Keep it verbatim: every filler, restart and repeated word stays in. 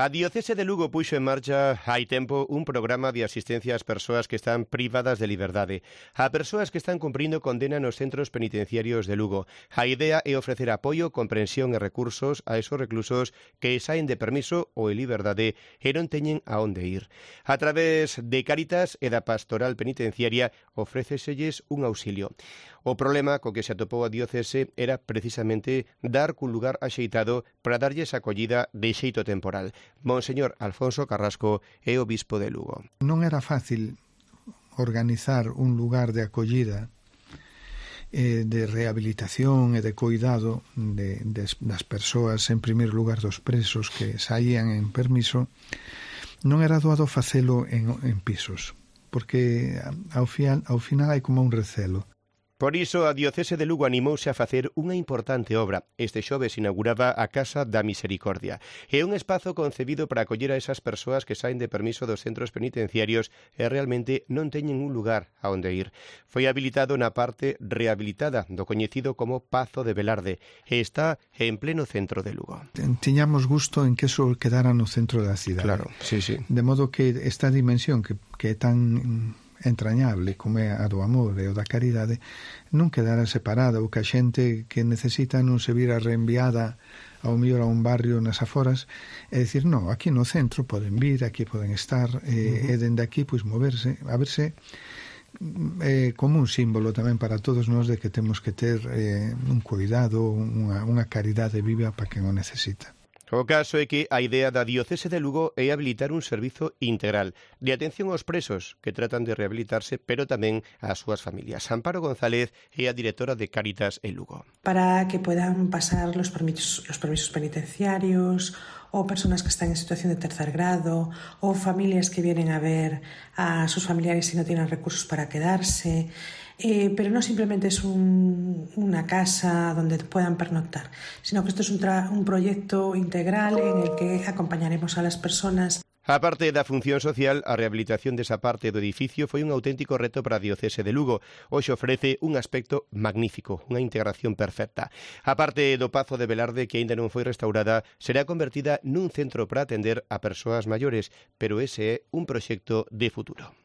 A Diocese de Lugo puxo en marcha hai tempo un programa de asistencia ás persoas que están privadas de liberdade, a persoas que están cumprindo condena nos centros penitenciarios de Lugo. A idea é ofrecer apoio, comprensión e recursos a esos reclusos que saen de permiso ou en liberdade e non teñen a onde ir. A través de Cáritas e da Pastoral Penitenciaria ofréceselles un auxilio. O problema co que se atopou a Diocese era precisamente dar cun lugar axeitado para darlles acollida de xeito temporal. Monseñor Alfonso Carrasco é o bispo de Lugo. Non era fácil organizar un lugar de acollida, eh, de rehabilitación e de cuidado de, de, das persoas, en primeiro lugar dos presos que saían en permiso. Non era doado facelo en, en pisos, porque ao, fial, ao final hai como un recelo. Por iso, a Diocese de Lugo animouse a facer unha importante obra. Este xoves inauguraba a Casa da Misericordia. É un espazo concebido para acoller a esas persoas que saen de permiso dos centros penitenciarios e realmente non teñen un lugar a onde ir. Foi habilitado na parte rehabilitada do coñecido como Pazo de Velarde e está en pleno centro de Lugo. Tiñamos gusto en que eso quedara no centro da cidade. Claro, sí, sí. De modo que esta dimensión que, que é tan entrañable como é a do amor e o da caridade non quedara separada, ou que a xente que necesita non se vira reenviada ao mellor a un barrio nas aforas, é dicir, non, aquí no centro poden vir, aquí poden estar, e, uh-huh. e dende aquí pois moverse, a verse eh, como un símbolo tamén para todos nós de que temos que ter eh, un cuidado, unha, unha caridade viva para quen o necesita. O caso é que a idea da Diocese de Lugo é habilitar un servizo integral de atención aos presos que tratan de rehabilitarse, pero tamén ás súas familias. Amparo González é a directora de Cáritas en Lugo. Para que puedan pasar los permisos, los permisos penitenciarios, o personas que están en situación de tercer grado, o familias que vienen a ver a sus familiares y no tienen recursos para quedarse. Eh, pero no simplemente es un, una casa donde puedan pernoctar, sino que esto es un, tra- un proyecto integral en el que acompañaremos a las personas. A parte da función social, a rehabilitación desa parte do edificio foi un auténtico reto para a Diocese de Lugo. Hoxe ofrece un aspecto magnífico, unha integración perfecta. A parte do Pazo de Velarde, que aínda non foi restaurada, será convertida nun centro para atender a persoas maiores, pero ese é un proxecto de futuro.